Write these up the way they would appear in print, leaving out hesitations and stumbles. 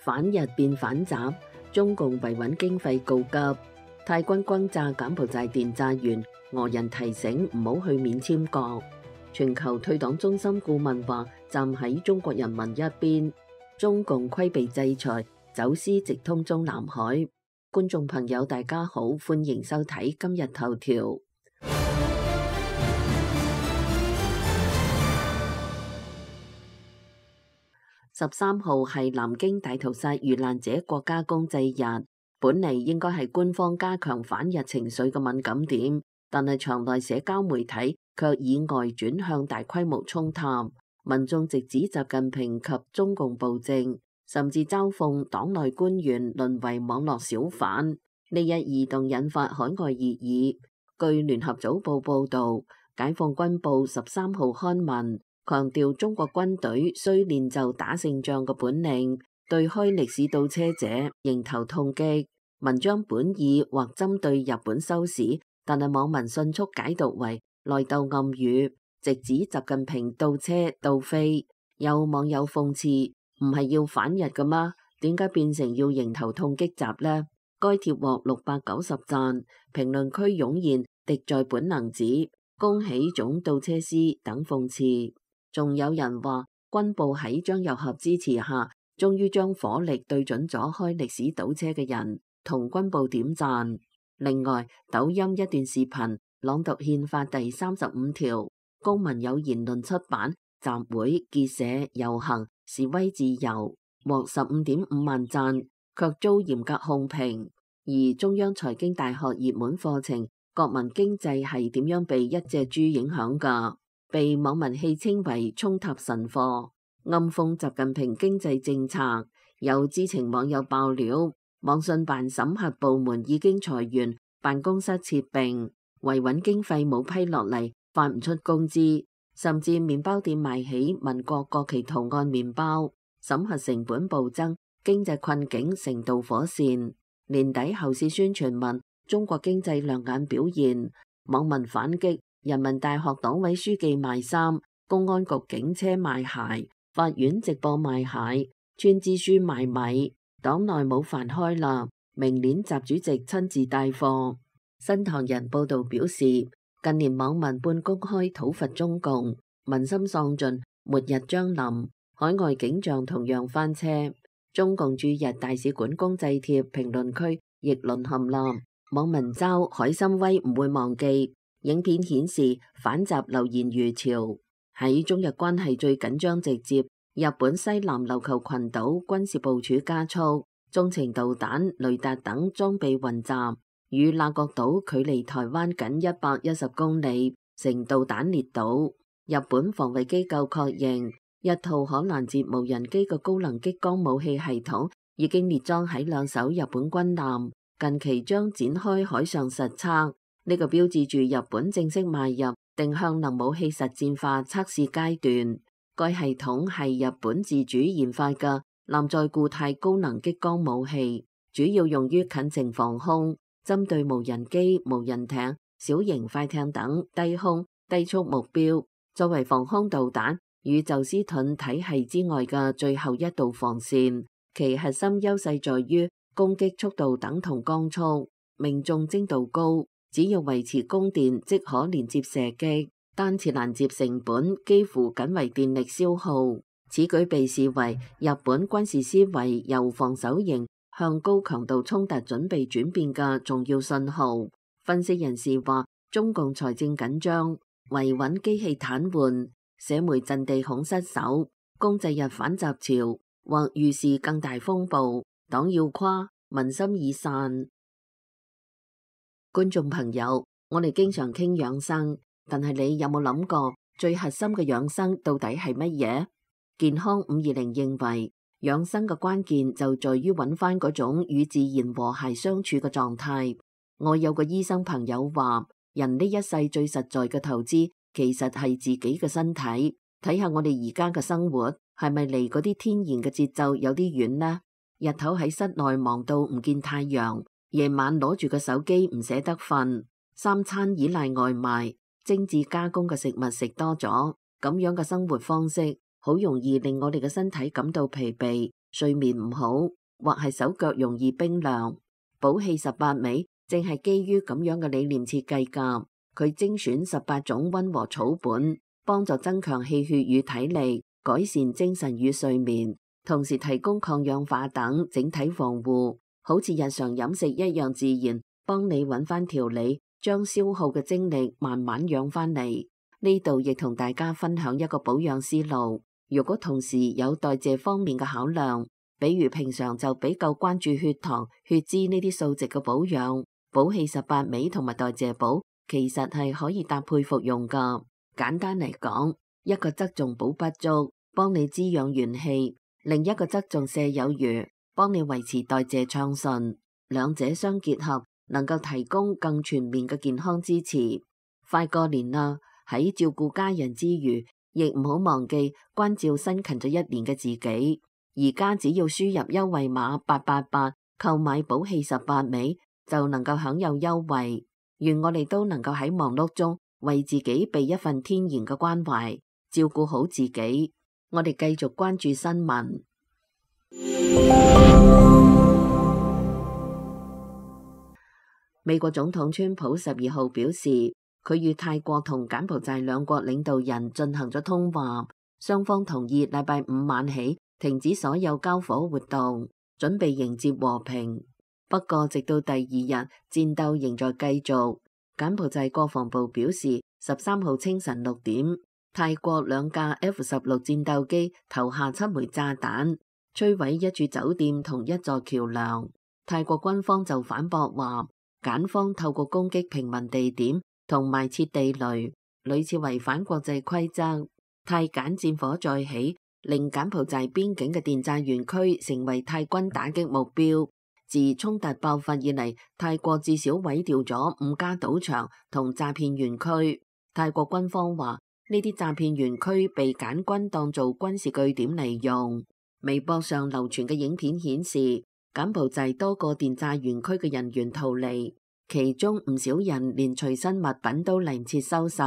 反日變反習，中共維穩經費告急。泰軍轟炸柬埔寨電詐園，俄人提醒唔好去免簽國。全球退黨中心顧問話站喺中國人民一邊。中共規避制裁，走私直通中南海。觀眾朋友大家好，歡迎收睇今日頭條。13號係南京大屠殺遇難者國家公祭日，本嚟應該係官方加強反日情緒嘅敏感點，但係場內社交媒體卻以外轉向大規模衝探，民眾直指習近平及中共暴政，甚至嘲諷黨內官員淪為網絡小販。呢一異動引發海外熱議。據聯合早報報導，解放軍報13號刊文，強調中國軍隊需練就打勝仗嘅本領，對開歷史倒車者迎頭痛擊。文章本意或針對日本收視，但係網民迅速解讀為內鬥暗語，直指習近平倒車倒飛。有網友諷刺：唔係要反日㗎嗎？點解變成要迎頭痛擊習呢？該帖獲690讚，評論區湧現敵在本能指恭喜總倒車師等諷刺。仲有人話軍報喺張又俠支持下，終於將火力對準咗開歷史倒車嘅人，同軍報點讚。另外，抖音一段視頻朗讀憲法第35條，公民有言論出版、集會、結社、遊行、示威自由，獲15.5萬讚，卻遭嚴格控評。而中央財經大學熱門課程國民經濟係點樣被一隻豬影響㗎？被網民戲稱為衝塔神課，暗諷習近平經濟政策。有知情網友爆料，網信辦審核部門已經裁員，辦公室撤並，維穩經費冇批落嚟，發唔出工資，甚至麵包店賣起民國國旗圖案麵包，審核成本暴增，經濟困境成導火線。年底後市宣傳問中國經濟亮眼表現，網民反擊。人民大學黨委書記賣衫，公安局警車賣鞋，法院直播賣蟹，村支書賣米，黨內冇飯開啦。明年習主席親自帶貨。新唐人報道表示，近年網民半公開討伐中共，民心喪盡，末日將臨，海外景象同樣翻車。中共駐日大使館公祭帖評論區亦淪陷啦，網民嘲海參崴唔會忘記。影片顯示反習留言如潮。喺中日關係最緊張直接，日本西南琉球群島軍事部署加速，中程導彈、雷達等裝備運集，與那國島距離台灣僅110公里，成導彈列島。日本防衛機構確認，一套可攔截無人機嘅高能激光武器系統已經列裝喺2艘日本軍艦，近期將展開海上實測。呢個標誌住日本正式邁入定向能武器實戰化測試階段。該系統係日本自主研發嘅艦載固態高能激光武器，主要用於近程防空，針對無人機、無人艇、小型快艇等低空低速目標，作為防空導彈與宙斯盾體系之外嘅最後一道防線。其核心優勢在於攻擊速度等同光速，命中精度高。只要維持供電即可連接射擊，單次攔截成本幾乎僅為電力消耗。此舉被視為日本軍事思維由防守型向高強度衝突準備轉變嘅重要信號。分析人士話，中共財政緊張，維穩機器癱瘓，社媒陣地恐失守，公祭日反習潮或預示更大風暴。黨要垮，民心已散。觀眾朋友，我哋經常傾養生，但係你有冇諗過最核心嘅養生到底係乜嘢？健康520認為，養生嘅關鍵就在於揾翻嗰種與自然和諧相處嘅狀態。我有個醫生朋友話，人呢一世最實在嘅投資其實係自己嘅身體。睇下我哋而家嘅生活係咪離嗰啲天然嘅節奏有啲遠呢？日頭喺室內忙到唔見太陽，夜晚攞住個手機唔捨得瞓，三餐依賴外賣，精緻加工嘅食物食多咗，咁樣嘅生活方式好容易令我哋嘅身體感到疲憊，睡眠唔好，或係手腳容易冰涼。寶氣18味正係基於咁樣嘅理念設計㗎。佢精選18種溫和草本，幫助增強氣血與體力，改善精神與睡眠，同時提供抗氧化等整體防護，好似日常飲食一樣自然，幫你揾翻條理，將消耗嘅精力慢慢養翻嚟。呢度亦同大家分享一個保養思路。如果同時有代謝方面嘅考量，比如平常就比較關注血糖、血脂呢啲數值嘅保養，寶氣18味同埋代謝寶其實係可以搭配服用㗎。簡單嚟講，一個側重補不足，幫你滋養元氣；另一個側重瀉有餘，幫你維持代謝暢順。兩者相結合，能夠提供更全面嘅健康支持。快過年啦，喺照顧家人之餘，亦唔好忘記關照辛勤咗一年嘅自己。而家只要輸入優惠碼888，購買寶氣18味，就能夠享有優惠。願我哋都能夠喺忙碌中為自己備一份天然嘅關懷，照顧好自己。我哋繼續關注新聞。美國總統川普12號表示，佢與泰國同柬埔寨兩國領導人進行咗通話，雙方同意禮拜五晚起停止所有交火活動，準備迎接和平。不過，直到第2日，戰鬥仍在繼續。柬埔寨國防部表示，13號清晨6點，泰國2架 F-16戰鬥機投下7枚炸彈，摧毀一處酒店同一座橋樑。泰國軍方就反駁話，柬方透過攻擊平民地點同埋設地雷，屢次違反國際規則。泰柬戰火再起，令柬埔寨邊境嘅電詐園區成為泰軍打擊目標。自衝突爆發以嚟，泰國至少毀掉咗5家賭場同詐騙園區。泰國軍方話，呢啲詐騙園區被柬軍當做軍事據點嚟用。微博上流傳嘅影片顯示，柬埔寨多個電詐園區嘅人員逃離，其中唔少人連隨身物品都嚟唔切收拾，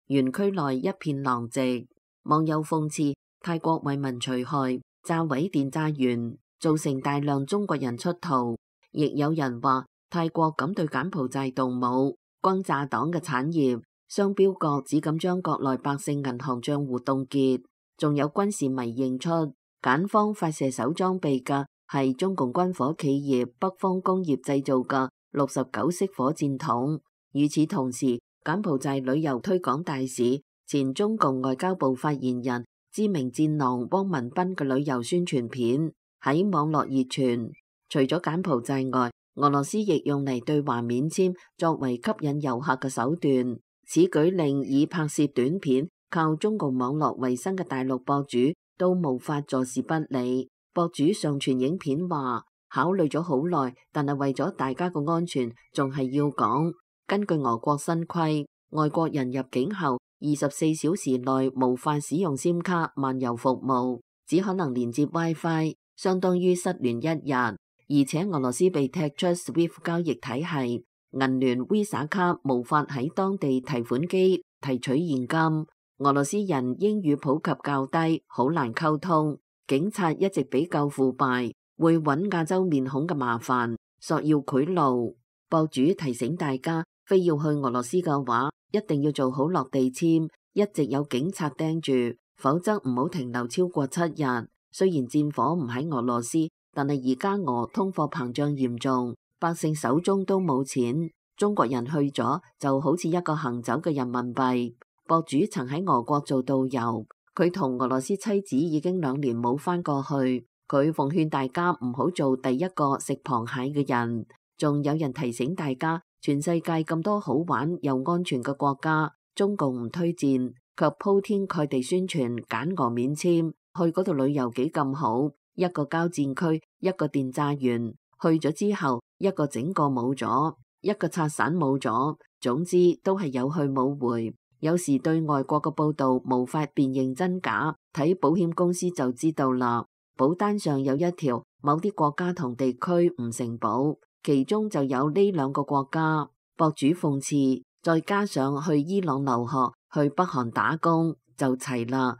園區內一片狼藉。網友諷刺泰國為民除害，炸毀電詐園，造成大量中國人出逃。亦有人話泰國敢對柬埔寨動武，轟炸黨嘅產業，雙標國只敢將國內百姓銀行賬戶凍結。仲有軍事迷認出柬方發射手裝備嘅係中共軍火企業北方工業製造嘅69式火箭筒。與此同時，柬埔寨旅遊推廣大使、前中共外交部發言人、知名戰狼汪文斌嘅旅遊宣傳片喺網絡熱傳。除咗柬埔寨外，俄羅斯亦用嚟對華免簽作為吸引遊客嘅手段。此舉令以拍攝短片靠中共網絡為生嘅大陸博主都無法坐視不理。博主上傳影片話，考慮咗好耐，但係為咗大家嘅安全，仲係要講。根據俄國新規，外國人入境後24小時內無法使用 SIM 卡漫遊服務，只可能連接 WiFi， 相當於失聯1日。而且俄羅斯被踢出 SWIFT 交易體系，銀聯 Visa 卡無法喺當地提款機提取現金。俄羅斯人英語普及較低，好難溝通。警察一直比較腐敗，會揾亞洲面孔嘅麻煩，索要賄賂。博主提醒大家，非要去俄羅斯嘅話，一定要做好落地簽，一直有警察盯住，否則唔好停留超過7日。雖然戰火唔喺俄羅斯，但係而家俄通貨膨脹嚴重，百姓手中都冇錢，中國人去咗就好似一個行走嘅人民幣。博主曾喺俄國做導遊，佢同俄羅斯妻子已經2年冇返過去。佢奉勸大家唔好做第一個食螃蟹嘅人。仲有人提醒大家，全世界咁多好玩又安全嘅國家，中共唔推薦，卻鋪天蓋地宣傳柬俄免簽，去嗰度旅遊幾咁好。一個交戰區，一個電詐園，去咗之後，一個整個冇咗，一個拆散冇咗，總之都係有去冇回。有時對外國嘅報道無法辨認真假，睇保險公司就知道啦。保單上有一條，某啲國家同地區唔承保，其中就有呢2個國家。博主諷刺，再加上去伊朗留學，去北韓打工，就齊啦。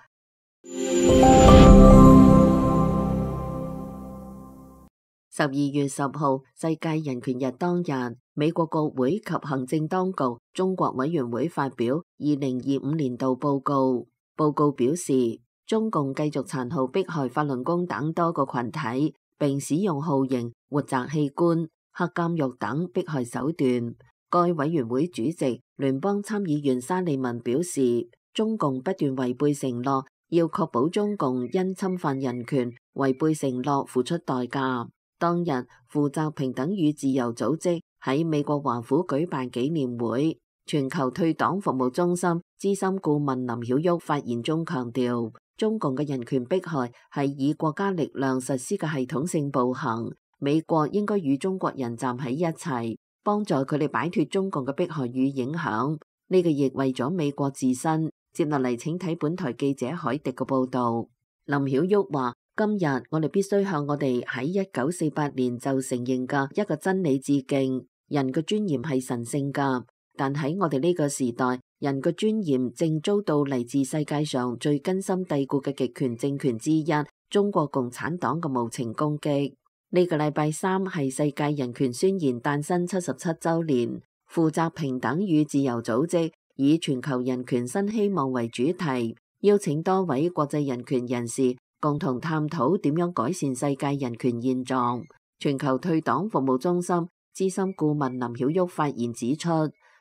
12月10號，世界人權日當日，美國國會及行政當局中國委員會發表2025年度報告。報告表示，中共繼續殘酷迫害法輪功等多個群體，並使用酷刑、活摘器官、黑監獄等迫害手段。該委員會主席聯邦參議員沙利文表示，中共不斷違背承諾，要確保中共因侵犯人權、違背承諾付出代價。當日，負責平等與自由組織喺美國華府舉辦紀念會，全球退黨服務中心資深顧問林曉旭發言中強調，中共嘅人權迫害係以國家力量實施嘅系統性暴行，美國應該與中國人站喺一齊，幫助佢哋擺脫中共嘅迫害與影響。呢個亦為咗美國自身。接落嚟請睇本台記者海迪嘅報導。林曉旭話：今日我哋必須向我哋喺1948年就承認嘅一個真理致敬。人嘅尊嚴係神聖㗎，但喺我哋呢個時代，人嘅尊嚴正遭到嚟自世界上最根深蒂固嘅極權政權之一中國共產黨嘅無情攻擊。呢個禮拜三係世界人權宣言誕生77週年，負責平等與自由組織以全球人權新希望為主題，邀請多位國際人權人士共同探討點樣改善世界人權現狀。全球退黨服務中心資深顧問林曉旭發言指出，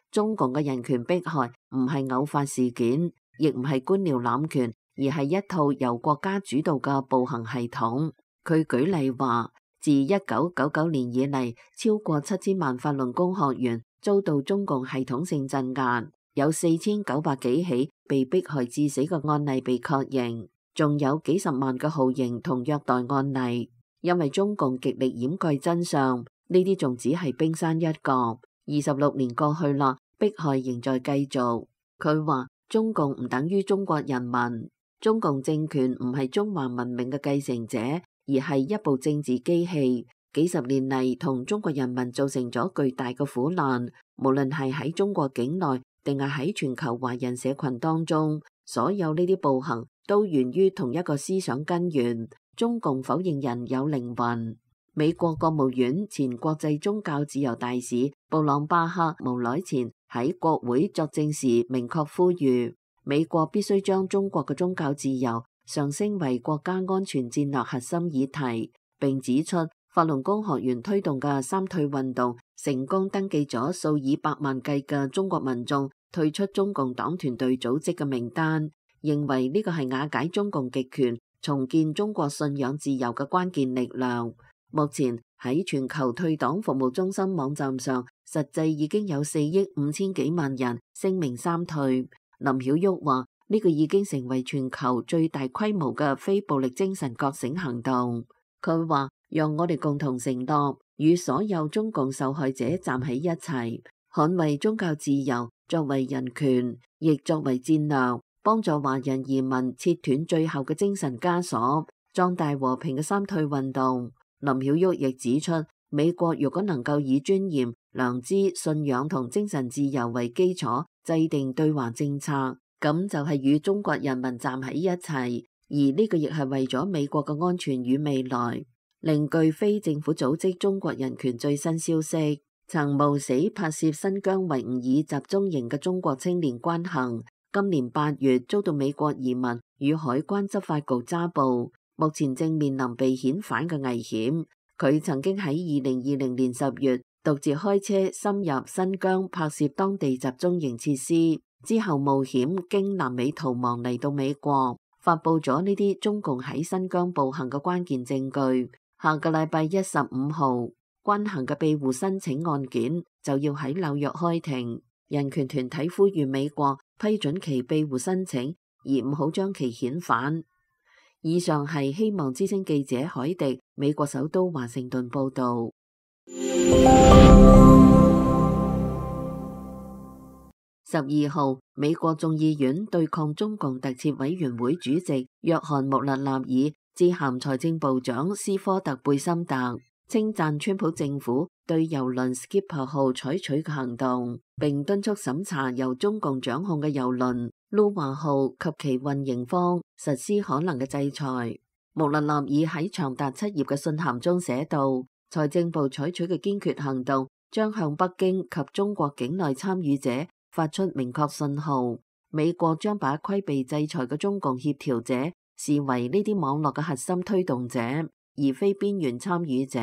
中共嘅人權迫害唔係偶發事件，亦唔係官僚濫權，而係一套由國家主導嘅暴行系統。佢舉例話，自1999年以嚟，超過7000萬法輪功學員遭到中共系統性鎮壓。有4900幾起被迫害致死嘅案例被確認，仲有幾十萬嘅酷刑同虐待案例。因為中共極力掩蓋真相，呢啲仲只係冰山一角。26年過去啦，迫害仍在繼續。佢話中共唔等於中國人民，中共政權唔係中華文明嘅繼承者，而係一部政治機器。幾十年嚟同中國人民造成咗巨大嘅苦難，無論係喺中國境內，定係喺全球華人社群當中，所有呢啲暴行都源於同一個思想根源：中共否認人有靈魂。美國國務院前國際宗教自由大使布朗巴克無耐前喺國會作證時明確呼籲，美國必須將中國嘅宗教自由上升為國家安全戰略核心議題，並指出法輪功學員推動嘅三退運動成功登記咗數以百萬計嘅中國民眾退出中共黨團隊組織嘅名單，認為呢個係瓦解中共極權、重建中國信仰自由嘅關鍵力量。目前喺全球退黨服務中心網站上，實際已經有4億5千幾萬人聲明三退。林曉旭話：呢個已經成為全球最大規模嘅非暴力精神覺醒行動。佢話：讓我哋共同承諾，與所有中共受害者站喺一齊，捍衛宗教自由，作為人權，亦作為戰略，幫助華人移民切斷最後嘅精神枷鎖，壯大和平嘅三退運動。林曉旭亦指出，美國如果能夠以尊嚴、良知、信仰同精神自由為基礎制定對華政策，咁就係與中國人民站喺一齊，而呢個亦係為咗美國嘅安全與未來。另據非政府組織中國人權最新消息，曾冒死拍攝新疆維吾爾集中營嘅中國青年關行，今年8月遭到美國移民與海關執法局抓捕，目前正面臨被遣返嘅危險。佢曾經喺2020年10月獨自開車深入新疆拍攝當地集中營設施，之後冒險經南美逃亡嚟到美國，發佈咗呢啲中共喺新疆暴行嘅關鍵證據。下個禮拜15號，關行嘅庇護申請案件就要喺紐約開庭。人權團體呼籲美國批准其庇護申請，而唔好將其遣返。以上係希望之聲記者海迪美國首都華盛頓報道。12號，美國眾議院對抗中共特設委員會主席約翰穆勒納爾致函財政部長斯科特貝森特，稱讚川普政府對郵輪 Skipper 號採取嘅行動，並敦促審查由中共掌控嘅郵輪魯華號及其運營方實施可能嘅制裁。穆勒納爾喺長達7頁嘅信函中寫道：財政部採取嘅堅決行動，將向北京及中國境內參與者發出明確信號。美國將把規避制裁嘅中共協調者視為呢啲網絡嘅核心推動者，而非邊緣參與者。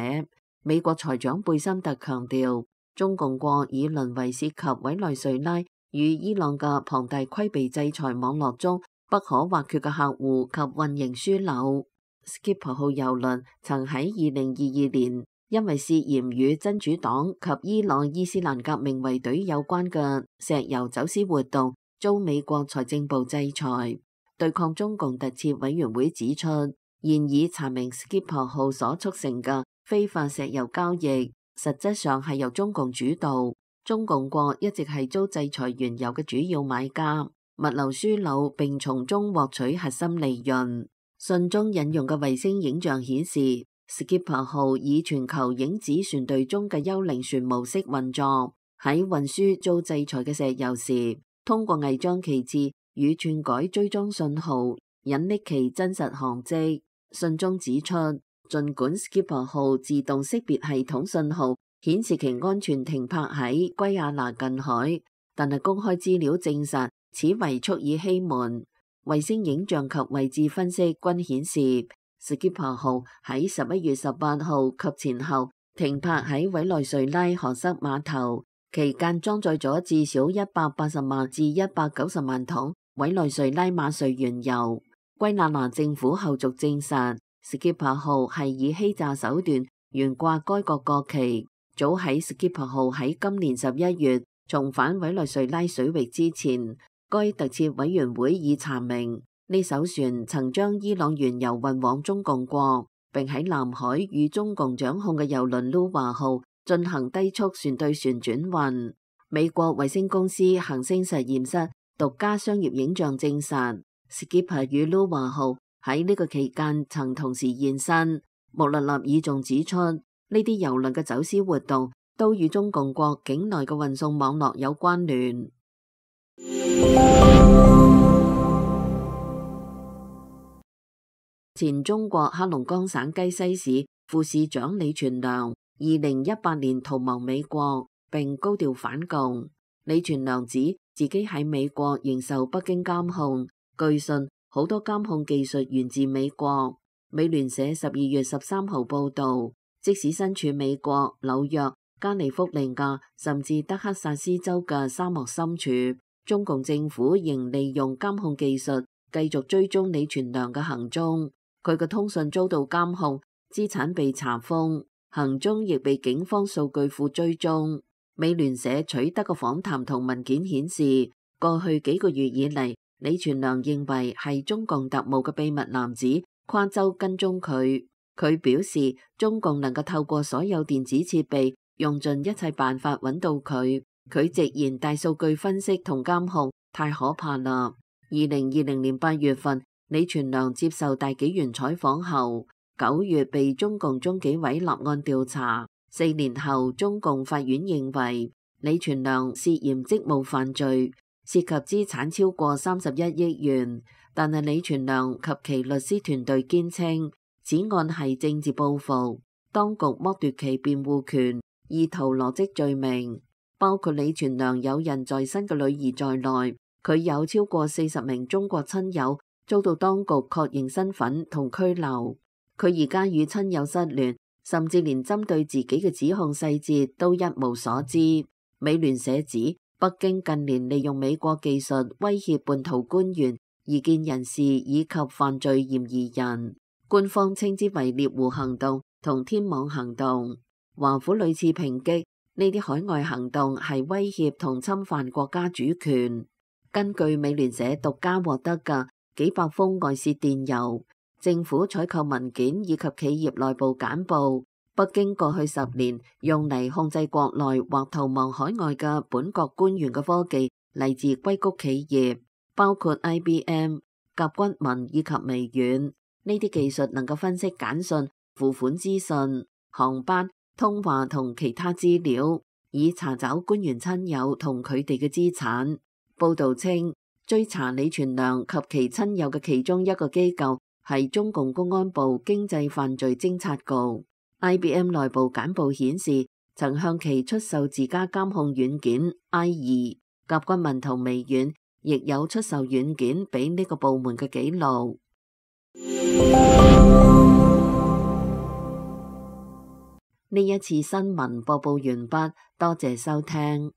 美國財長貝森特強調，中共國已淪為涉及委內瑞拉與伊朗嘅龐大規避制裁網絡中不可或缺嘅客戶及運營樞紐。Skipper 號郵輪曾喺2022年因為涉嫌與真主黨及伊朗伊斯蘭革命衛隊有關嘅石油走私活動遭美國財政部制裁。對抗中共特設委員會指出，現已查明 Skipper 號所促成嘅非法石油交易，實質上係由中共主導。中共國一直係遭制裁原油嘅主要買家，物流樞紐並從中獲取核心利潤。信中引用嘅衛星影像顯示，Skipper 號以全球影子船隊中嘅幽靈船模式運作，喺運輸遭制裁嘅石油時，通過偽裝旗幟與篡改追蹤信號，隱匿其真實航跡。信中指出，儘管 Skipper 號自動識別系統信號顯示其安全停泊喺圭亞那近海，但係公開資料證實此為蓄意欺瞞。衛星影像及位置分析均顯示，Skipper 號喺11月18號及前後停泊喺委內瑞拉荷塞碼頭，期間裝載咗至少180萬至190萬桶委內瑞拉馬瑞原油。圭亞那政府後續證實，Skipper 號係以欺詐手段懸掛該國國旗。早喺 Skipper 號喺今年11月重返委內瑞拉水域之前，該特設委員會已查明呢艘船曾將伊朗原油運往中共國，並喺南海與中共掌控嘅郵輪魯華號進行低速船對船轉運。美國衛星公司恒星實驗室獨家商業影像證實，Skipper 與魯華號喺呢個期間曾同時現身。穆勒納爾仲指出，呢啲郵輪嘅走私活動都與中共國境內嘅運送網絡有關聯。前中國黑龍江省雞西市副市長李全良2018年逃亡美國，並高調反共。李全良指自己喺美國仍受北京監控，據信好多監控技術源自美國。美聯社12月13號報道，即使身處美國、紐約、加利福尼亞甚至德克薩斯州嘅沙漠深處，中共政府仍利用監控技術繼續追蹤李全良嘅行蹤。佢嘅通訊遭到監控，資產被查封，行蹤亦被警方數據庫追蹤。美聯社取得嘅訪談同文件顯示，過去幾個月以嚟，李全良認為係中共特務嘅秘密男子跨州跟蹤佢。佢表示，中共能夠透過所有電子設備，用盡一切辦法揾到佢。佢直言大數據分析同監控太可怕啦。2020年8月份，李全良接受大紀元採訪後，9月被中共中紀委立案調查。4年後，中共法院認為李全良涉嫌職務犯罪，涉及資產超過31億元。但係李全良及其律師團隊堅稱，此案係政治報復，當局剝奪其辯護權，意圖羅織罪名。包括李全良有人在身嘅女兒在內，佢有超過40名中國親友遭到當局確認身份同拘留。佢而家與親友失聯，甚至連針對自己嘅指控細節都一無所知。美聯社指，北京近年利用美國技術威脅叛徒官員、異見人士以及犯罪嫌疑人，官方稱之為獵狐行動同天網行動。華府屢次抨擊呢啲海外行動係威脅同侵犯國家主權。根據美聯社獨家獲得嘅幾百封外泄電郵、政府採購文件以及企業內部簡報，北京過去10年用嚟控制國內或逃亡海外嘅本國官員嘅科技嚟自硅谷企業，包括 IBM、甲骨文以及微軟。呢啲技術能夠分析簡訊、付款資訊、航班、通話同其他資料，以查找官員親友同佢哋嘅資產。報道稱，追查李全良及其親友嘅其中一個機構係中共公安部經濟犯罪偵察局。IBM 內部簡報顯示，曾向其出售自家監控軟件 I2，甲骨文同微軟亦有出售軟件俾呢個部門嘅記錄。呢一次新聞播報完畢，多謝收聽。